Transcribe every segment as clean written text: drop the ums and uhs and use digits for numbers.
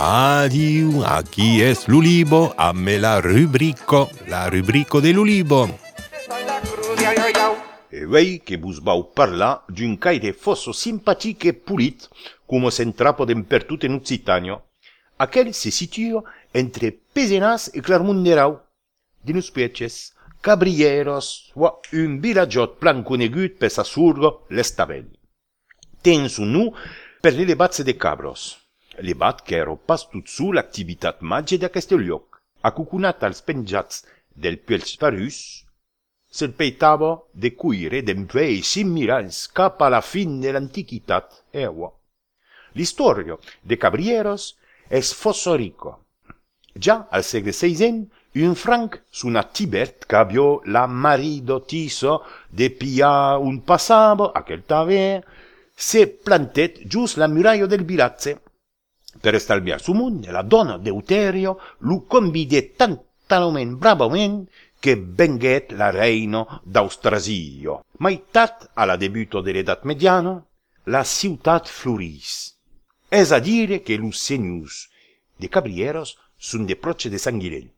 Adieu, aquí es l'Ulibo, amme la rubrico de l'Ulibo. E vei que vos vau parlar d'un caire fosso simpatic e polit, como s'entrapo d'empertut en Occitanio. Aquel se situa entre Pezenas e Clermont-Ferrand, dinus peces, Cabrieros, o un villagiot plan conegut per sa surgo l'Estavel. Ten su nu per le levatze de cabros. Levat qu'ero pas tot su l'activitat magge d'aqueste lloc, acucunat als penjats del Puels Parus, se'l peitava de cuire d'empleis similars cap a la fin de l'antiquitat eua. L'historia de Cabrieros es fosso rico. Già al segle XVI, un franc sunat Tibert qu'aviò la marido tiso de pillar un passavo, aquel taver, se plantet just la muraia del vilatze. Per estalviar su munde, la donna Deuterio lu convide tantalment bravament che venguet la reino d'Austrasio. Maitat alla debuto de l'edat mediana, la ciutat floris. Es a dire que los senyors de Cabrieros sun de proche de Sanguilell.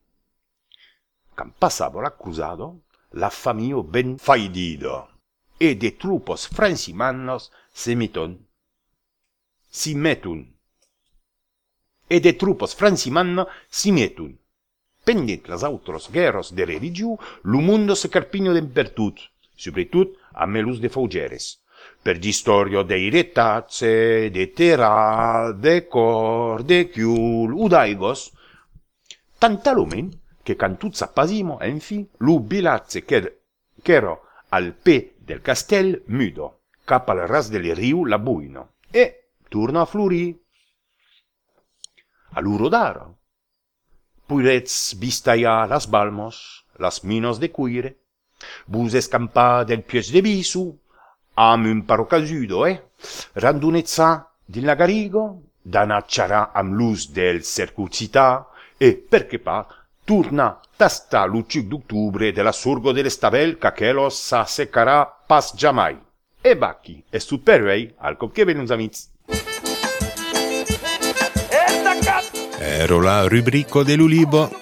Quand passava l'accusado, la famiglia ben faidida, e de trupos francimanos si mettun. E de trupos francimanos si mettun. Pendent las autros guerras de religiu, lo mundo se carpigno d'empertut, sobretot a melus de faugeres. Per d'istorio de retazze, de terra, de cor, de chiul, u d'aigos, tantalumen che can tut s'appasimo, enfim, lo vilatze qu'ero al pe del castell mudo, cap al ras del riu la buino, e torna a florir. All'urodara. Puirets vistaia las balmos, las minos de cuire, vus escampa del pies de bisu, am un parocasudo, randunezza din la garigo, danacciarà am luz del cercucità, e perché pa, turna tasta l'ucic d'octubre de la surgo dell'Estavel qu'aquelo s'assecarà pas giamai. E bacchi, e supervei al cop che venus amics. Ero la rubrico de l'Ulibo.